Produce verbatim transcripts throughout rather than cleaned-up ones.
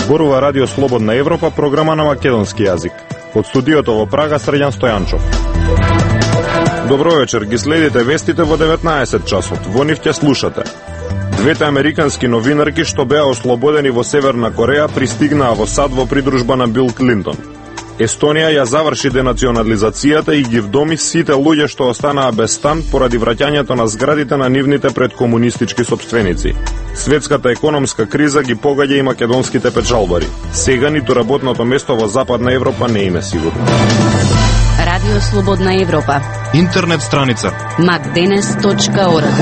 Зборува Радио Слободна Европа, програма на македонски јазик. Од студиото во Прага, Среѓан Стојанчов. Добро вечер, ги следите вестите во деветнаесет часот. Во нив ќе слушате. Двете американски новинарки што беа ослободени во Северна Кореја пристигнаа во САД во придружба на Бил Клинтон. Естонија ја заврши денационализацијата и ги вдоми сите луѓе што останаа без стан поради враќањето на зградите на нивните предкомунистички сопственици. Светската економска криза ги погаѓа и македонските печалбари. Сега ниту работното место во Западна Европа не им е сигурно. Радио Слободна Европа. Интернет страница макденес точка орг.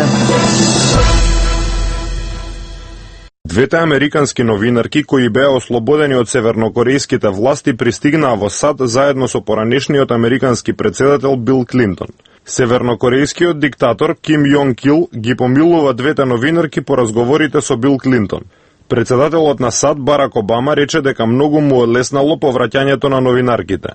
Двете американски новинарки кои беа ослободени од севернокорејските власти пристигнаа во САД заедно со поранешниот американски претседател Бил Клинтон. Севернокорејскиот диктатор Ким Јонг Ил ги помилува двете новинарки по разговорите со Бил Клинтон. Претседателот на САД Барак Обама рече дека многу му олеснало повраќањето на новинарките.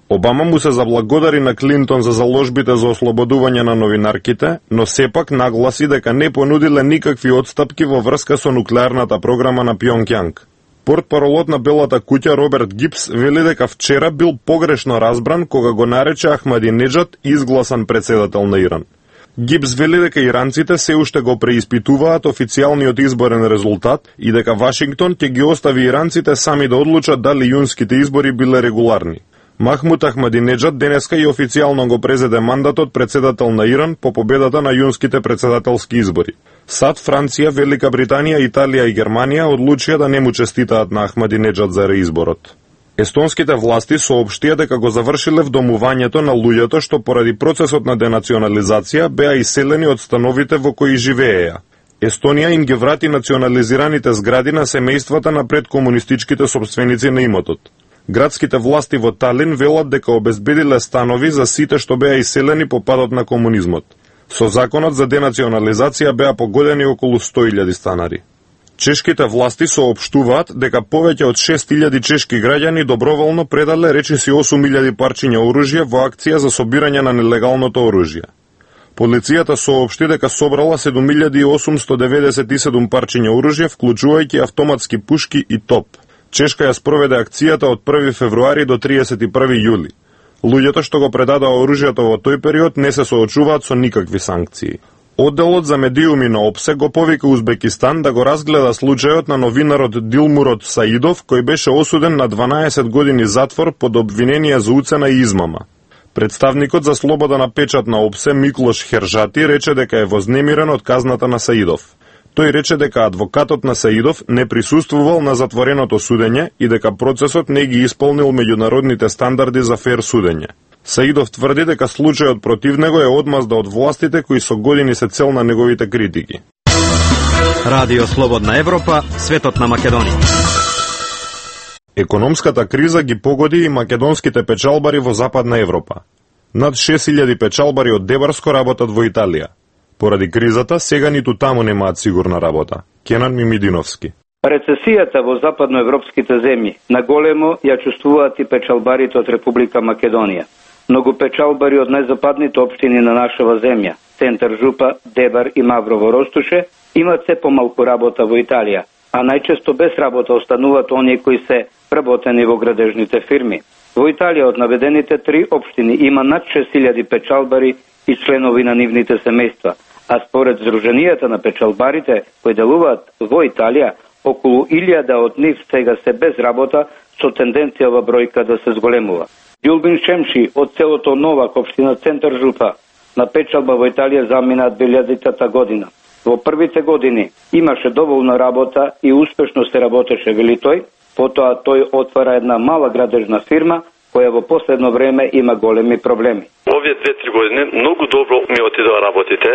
Обама му се заблагодари на Клинтон за заложбите за ослободување на новинарките, но сепак нагласи дека не понудиле никакви отстапки во врска со нуклеарната програма на Пјонгјанг. Портпаролот на Белата куќа Роберт Гипс вели дека вчера бил погрешно разбран кога го нарече Ахмадинеджад изгласан претседател на Иран. Гипс вели дека иранците се уште го преиспитуваат официјалниот изборен резултат и дека Вашингтон ќе ги остави иранците сами да одлучат дали јунските избори биле регуларни. Махмуд Ахмадинеджад денеска и официјално го презеде мандатот председател на Иран по победата на јунските председателски избори. САД, Франција, Велика Британија, Италија и Германија одлучија да не му честитаат на Ахмадинеджад за реизборот. Естонските власти соопштија дека го завршиле вдомувањето на луѓето што поради процесот на денационализација беа иселени од становите во кои живееја. Естонија им ги врати национализираните згради на семејствата на предкомунистичките сопственици на имотот. Градските власти во Талин велат дека обезбедиле станови за сите што беа иселени по падот на комунизмот. Со законот за денационализација беа погодени околу сто илјади станари. Чешките власти соопштуваат дека повеќе од шест илјади чешки граѓани доброволно предале речиси осум илјади парчиња оружје во акција за собирање на нелегалното оружје. Полицијата соопшти дека собрала седум илјади осумсто деветдесет и седум парчиња оружје, вклучувајќи автоматски пушки и топ. Чешка ја спроведе акцијата од први февруари до триесет и први јули. Луѓето што го предадоа оружјето во тој период не се соочуваат со никакви санкции. Одделот за медиуми на ОПСЕ го повика Узбекистан да го разгледа случајот на новинарот Дилмурод Саидов, кој беше осуден на дванаесет години затвор под обвинение за уцена и измама. Представникот за слобода на печат на ОПСЕ Миклош Хержати рече дека е вознемирен од казната на Саидов. Тој рече дека адвокатот на Саидов не присуствувал на затвореното судење и дека процесот не ги исполнил меѓународните стандарди за фер судење. Саидов тврди дека случајот против него е одмазда од властите кои со години се цел на неговите критики. Радио Слободна Европа, светот на Македонија. Економската криза ги погоди и македонските печалбари во Западна Европа. Над шест илјади печалбари од Дебарско работат во Италија. Поради кризата, сега ниту таму немаат сигурна работа. Кенан Мимидиновски. Рецесијата во западноевропските земји наголемо ја чувствуваат и печалбарите од Република Македонија. Многу печалбари од најзападните општини на нашава земја, Центар Жупа, Дебар и Маврово Ростуше, имат се помалку работа во Италија, а најчесто без работа остануваат оние кои се вработени во градежните фирми. Во Италија од наведените три општини има над шест илјади печалбари и членови на нивните семејства, а според Сдруженијата на печалбарите кои делуваат во Италија, околу илјада од нив сега се без работа со тенденција ова бројка да се зголемува. Ѓулбин Шемши од селото Новак, општина Центар Жупа, на печалба во Италија замина две илјадитата година. Во првите години имаше доволна работа и успешно се работеше, вели тој, потоа тој отвара една мала градежна фирма која во последно време има големи проблеми. Овие две-три години многу добро ми отидоа работите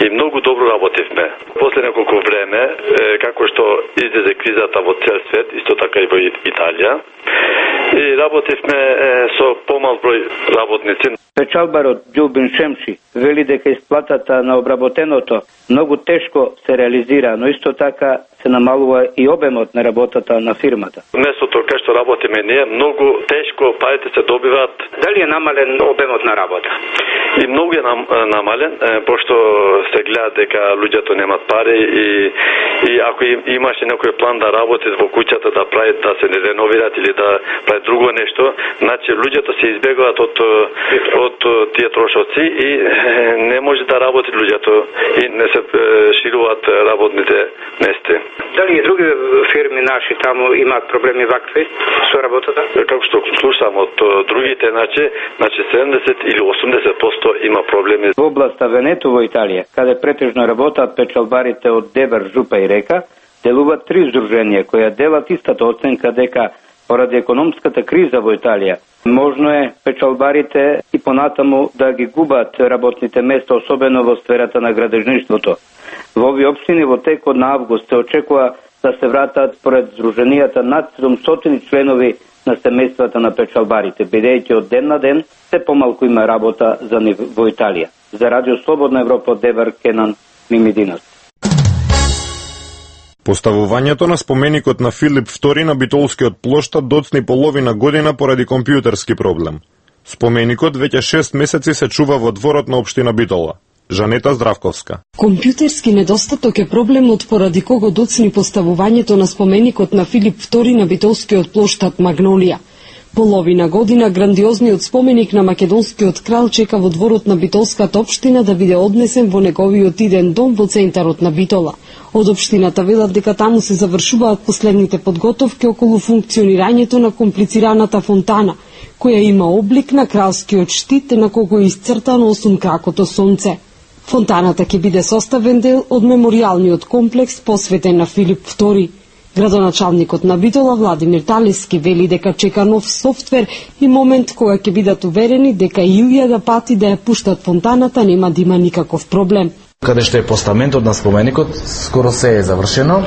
и многу добро работивме. После неколку време, како што излезе кризата во цел свет, исто така и во Италија, и работивме со помал број работници. Печалбарот Ѓулбин Шемши вели дека исплатата на обработеното многу тешко се реализира, но исто така се намалува и обемот на работата на фирмата. Местото кај што работиме ние многу тешко парите се добиваат. Дали е намален обемот на работа? И многу е нам, намален, пошто се гледа дека луѓето немат пари и и ако им, имаше некој план да работи во куќата, да прави, да се реновираат или да прави друго нешто, значи луѓето се избегуваат од од тие трошоци и не може да работи луѓето и не се шируваат работните места. Дали и други фирми наши таму имаат проблеми вакви со работата? Како што слушам од другите, значи, значи седумдесет или осумдесет проценти има проблеми. Во областа Венето во Италија, каде претежно работат печалбарите од Дебар, Жупа и Река, делуваат три здруженија кои делат истата оценка дека поради економската криза во Италија можно е печалбарите и понатаму да ги губат работните места, особено во сферата на градежништвото. Во овие општини во текот на август се очекува да се вратат според здруженијата над седумстотини членови на семејствата на печалбарите, бидејќи од ден на ден се помалку има работа за нив во Италија. За Радио Слободна Европа од Девар, Кенан Мимидинос. Поставувањето на споменикот на Филип втори на Битолскиот плоштад доцни половина година поради компјутерски проблем. Споменикот веќе шест месеци се чува во дворот на општина Битола. Жанета Здравковска. Компјутерски недостаток е проблемот поради кого доцни поставувањето на споменикот на Филип втори на Битолскиот плоштад Магнолија. Половина година грандиозниот споменик на македонскиот крал чека во дворот на Битолската општина да биде однесен во неговиот иден дом во центарот на Битола. Од општината велат дека таму се завршуваат последните подготовки околу функционирањето на комплицираната фонтана, која има облик на кралскиот штит на кого е исцртано осумкракото сонце. Фонтаната ќе биде составен дел од меморијалниот комплекс посветен на Филип втори. Градоначалникот на Битола Владимир Талески вели дека чека нов софтвер и момент кога ќе бидат уверени дека илјада пати да ја пуштат фонтаната нема да има никаков проблем. Каде што е постаментот на споменикот, скоро се е завршено.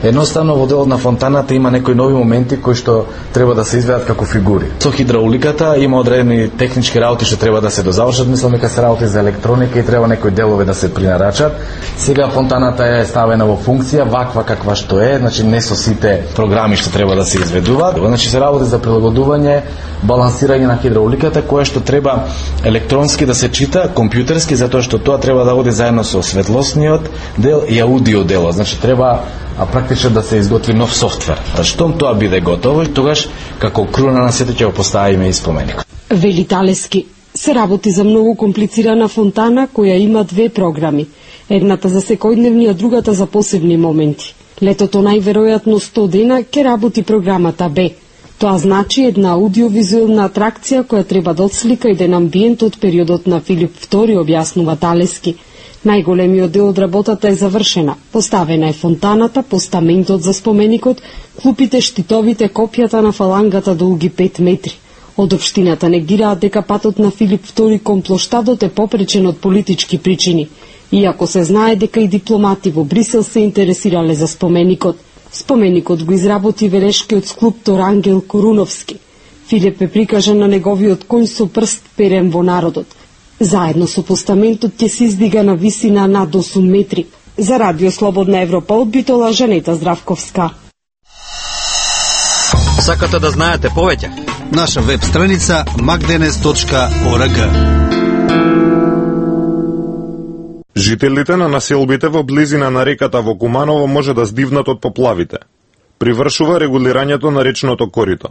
Едноставно во делот на фонтаната има некои нови моменти кои што треба да се изведат како фигури. Со хидрауликата има одредени технички работи што треба да се дозавршат, мислам дека се работи за електроника и треба некои делови да се принарачат. Сега фонтаната е ставена во функција ваква каква што е, значи не со сите програми што треба да се изведуваат. Значи се работи за прилагодување, балансирање на хидрауликата која што треба електронски да се чита, компјутерски, затоа што тоа треба да оди заедно со светлосниот дел и аудио дело. Значи треба а практично да се изготви нов софтвер. А штом тоа биде готово, тогаш како круна на сето ќе го поставиме и споменикот. Вели Талески, се работи за многу комплицирана фонтана која има две програми. Едната за секојдневни, а другата за посебни моменти. Летото најверојатно сто дена ќе работи програмата Б. Тоа значи една аудиовизуелна атракција која треба да отслика еден амбиент од периодот на Филип втори, објаснува Талески. Најголемиот дел од работата е завршена. Поставена е фонтаната, постаментот за споменикот, клупите, штитовите, копјата на фалангата долги пет метри. Од општината негираат дека патот на Филип втори кон плоштадот е попречен од политички причини, иако се знае дека и дипломати во Брисел се интересирале за споменикот. Споменикот го изработи велешкиот скулптор Ангел Коруновски. Филип е прикажан на неговиот конј со прст перен во народот. Заедно со постаментот ќе се издига на висина над осум метри. За Радио Слободна Европа од Битола, Жанета Здравковска. Сакате да знаете повеќе? Наша веб страница magdenes точка org. Жителите на населбите во близина на реката во Куманово може да здивнат од поплавите. Привршува регулирањето на речното корито.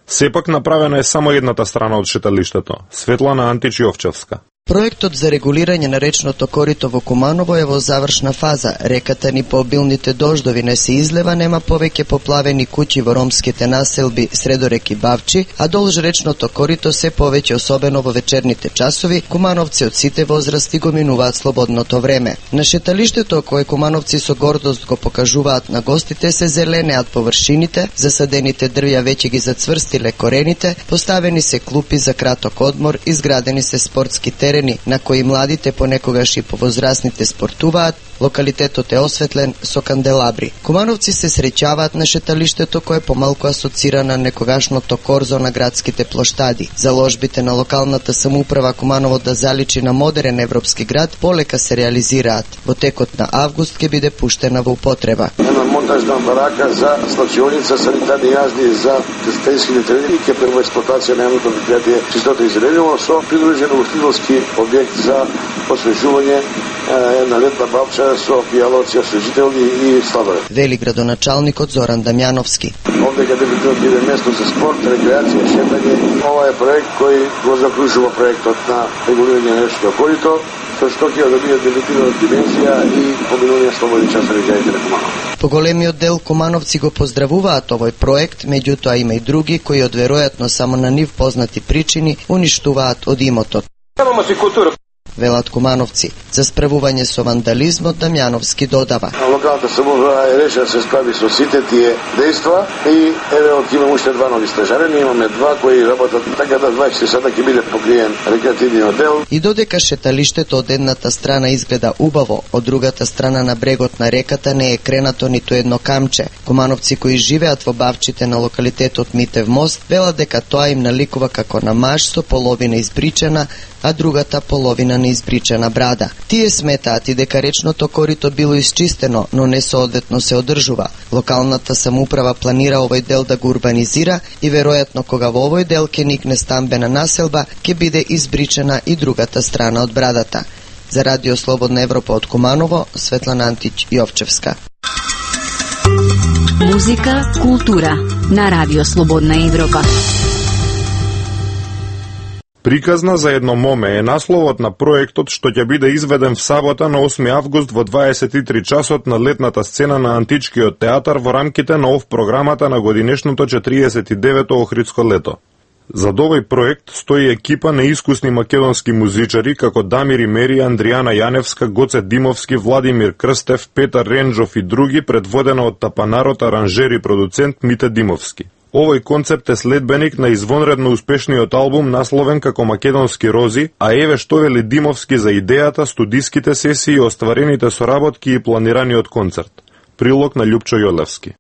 Сепак направена е само едната страна од шеталиштето. Светлана Античиовчевска. Проектот за регулирање на речното корито во Куманово е во завршна фаза. Реката ни по обилните дождови не се излева, нема повеќе поплавени куќи во ромските населби Средорек и Бавчи, а долж речното корито се повеќе, особено во вечерните часови, кумановци од сите возрасти го минуваат слободното време. На шеталиштето кое кумановци со гордост го покажуваат на гостите се зеленеат површините, засадените дрвја веќе ги зацврстиле корените, поставени се клупи за краток одмор, изградени се спортски терени на кои младите, понекогаш и повозрасните спортуваат, Локалитетот е осветлен со канделабри. Кумановци се среќаваат на шеталиштето кое помалку асоцира на некогашното корзо на градските плоштади. Заложбите на локалната самоуправа Куманово да заличи на модерен европски град полека се реализираат. Во текот на август ќе биде пуштена во употреба. Една монтажна барака за слачионица, санитарни јазди за тестенски нетрени и ќе прва експлоатација на едното предпријатие Чистота и Зеленило со придружен устилски објект за освежување, една летна бавча со пијалоци, освежителни и сладоле. Вели градоначалникот Зоран Дамјановски. Овде ќе биде место за спорт, рекреација, шетање. Ова е проект кој го закружува проектот на регулирање на речното корито, со што ќе добие дебитирана димензија и поминување слободни часови граѓаните на Куманово. Поголемиот дел кумановци го поздравуваат овој проект, меѓутоа има и други кои од веројатно само на нив познати причини уништуваат од имотот. Немаме си култура. Велат кумановци. За справување со вандализмот Дамјановски додава. Локалната самоуправа е решила да се справи со сите тие дејства и еве од имаме уште два нови стажарени, имаме два кои работат така да дваесет сата ќе биде покриен рекреативниот дел. И додека шеталиштето од едната страна изгледа убаво, од другата страна на брегот на реката не е кренато ниту едно камче. Кумановци кои живеат во бавчите на локалитетот Митев мост велат дека тоа им наликува како на маж со половина избричена, а другата половина неизбричена брада. Тие сметаат и дека речното корито било исчистено, но не соодветно се одржува. Локалната самоуправа планира овој дел да го урбанизира и веројатно кога во овој дел ќе никне стамбена населба, ќе биде избричена и другата страна од брадата. За Радио Слободна Европа од Куманово, Светлана Антич Јовчевска. Музика, култура на Радио Слободна Европа. Приказна за едно моме е насловот на проектот што ќе биде изведен в сабота на осми август во дваесет и три часот на летната сцена на Античкиот театар во рамките на ов програмата на годинешното четириесет и девето Охридско лето. За овој проект стои екипа на искусни македонски музичари како Дамир Имери, Андријана Јаневска, Гоце Димовски, Владимир Крстев, Петар Ренџов и други, предводена од тапанарот, аранжер и продуцент Мите Димовски. Овој концепт е следбеник на извонредно успешниот албум насловен како Македонски рози, а еве што вели Димовски за идејата, студиските сесии, остварените соработки и планираниот концерт. Прилог на Љупчо Јолевски.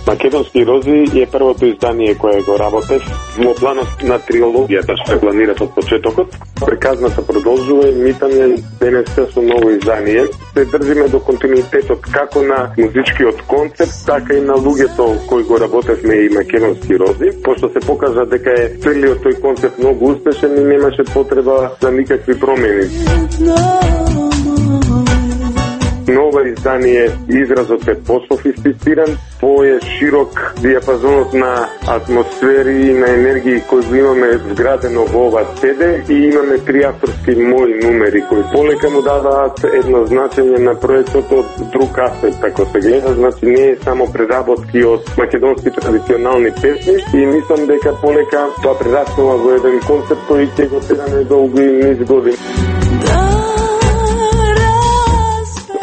Македонски рози е првото издание кое го работев во планот на триологијата што е планират од почетокот. Приказната продолжува и митаме денеска со ново издание. Се држиме до континуитетот како на музичкиот концепт, така и на луѓето кои го работевме и Македонски рози. Пошто се покажа дека е целиот тој концепт многу успешен и немаше потреба за никакви промени. Ново издание изразот е пософистициран, пое широк диапазонот на атмосфери и на енергии кои го имаме вградено во ова си ди и имаме три авторски мои numeri кои полека му даваат едно значење на проектот од друг аспект, ако се гледа, значи не е само преработки од македонски традиционални песни и мислам дека полека тоа прераснува во еден концепт кој ќе го тераме долго и низ години.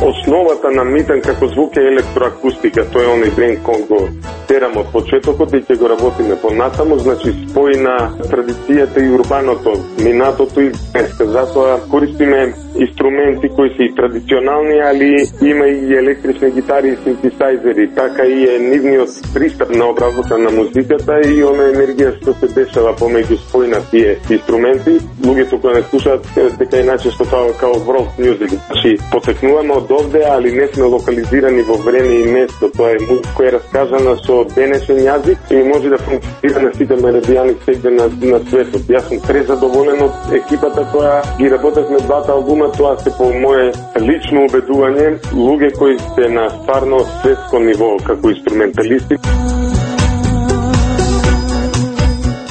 Основата на Митен како звук е електроакустика, тој е оној бренд кој го терам од почетокот и ќе го работиме понатаму, значи спои на традицијата и урбаното, минатото и днеска. Затоа користиме инструменти кои се и традиционални, али има и електрични гитари и синтесайзери, така и е нивниот пристап на обработка на музиката и она енергија што се дешава помеѓу спои на тие инструменти. Луѓето кои не слушаат дека иначе што тоа као world music. Значи потекнуваме од овде, али не сме локализирани во време и место. Тоа е музика која е раскажана со денешен јазик и може да функционира на сите меридијани сегде на, на светот. Јас сум презадоволен од екипата која ги работевме двата албума, тоа се по мое лично убедување, луѓе кои се на стварно светско ниво како инструменталисти.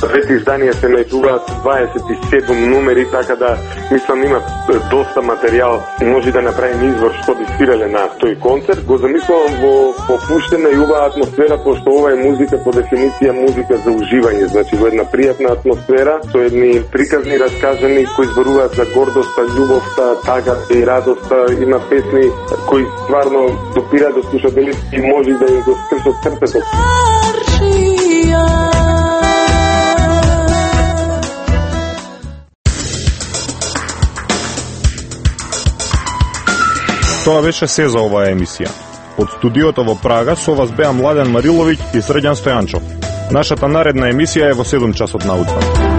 Двете изданија се најдуваат дваесет и седум numeri, така да мислам има доста материјал, може да направим извор што би свирале на тој концерт. Го замислувам во попуштена и убава атмосфера, пошто ова е музика по дефиниција музика за уживање, значи во една пријатна атмосфера, со едни приказни раскажани кои зборуваат за гордоста, љубовта, тагата и радоста. Има песни кои стварно допираат до слушателите и може да им го скршат срцето. Тоа беше се за оваа емисија. Од студиото во Прага со вас беа Младен Мариловиќ и Срđan Стојанчов. Нашата наредна емисија е во седум часот наутро.